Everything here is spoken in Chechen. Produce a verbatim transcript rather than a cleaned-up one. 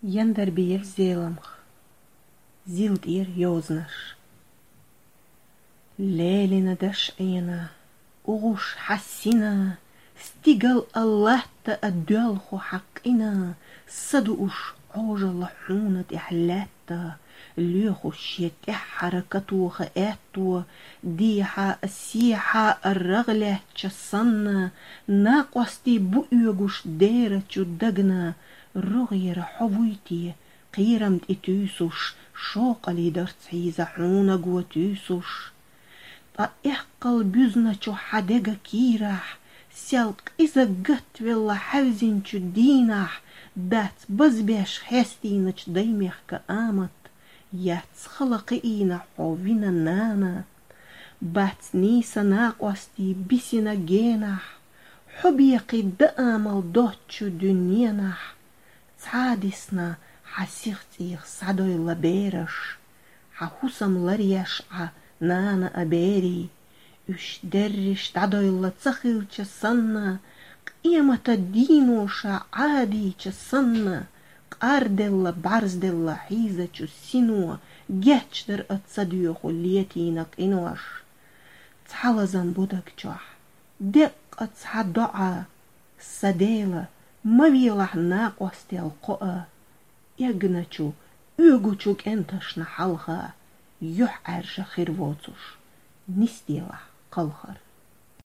Яндарбиев Зеламха. Зил тӀера йозанаш. Лелина дашӀена, угӀуш хьассина, стигал а латта а доьлху хьакъина, са дууш Ӏожалла хьуна тӀехь лаьтта, лоьхуш шен тӀаьххьара катоха аьтто, дехьа а, сехьа а рагӀ лаьттача санна, накъостий бу оьгуш дера чу дагна, рогӀера хьо вуй те, кхерам тӀе туьйсуш, шокъалий дарц хьийза хьуна го туьйсуш. Ткъа эккхал буьзначу хьан дега кийрахь, сел къиза гатвелла хьаьвзинчу дийнахь, дац базбеш хьестийначу даймехка амат, яц хала кхиийна хьо вина нана. Бац нийса накъостий бисина генахь, хьо бекхий даамал доцчу дуьненахь. Цхьа а дисна хьан сих цӀийх схьадойла бераш, хьан хӀусам ларъеш Ӏа, нана, а берий. Уьш дерриш дӀадойла ца хилча санна, къемата дийно ша Ӏадийча санна, къарделла, бӀарзделла хьийзачу сино гечдар а ца доьху летийна къинош. Цхьа лазам бу даг чохь, деккъа цхьа доӀа: «Сан Дела, ма велахь накъостел кхоа, эгначу, оьгучу кӀенташна хьалха, юьхьӀаьржа хир воцуш, нисделахь кхалхар».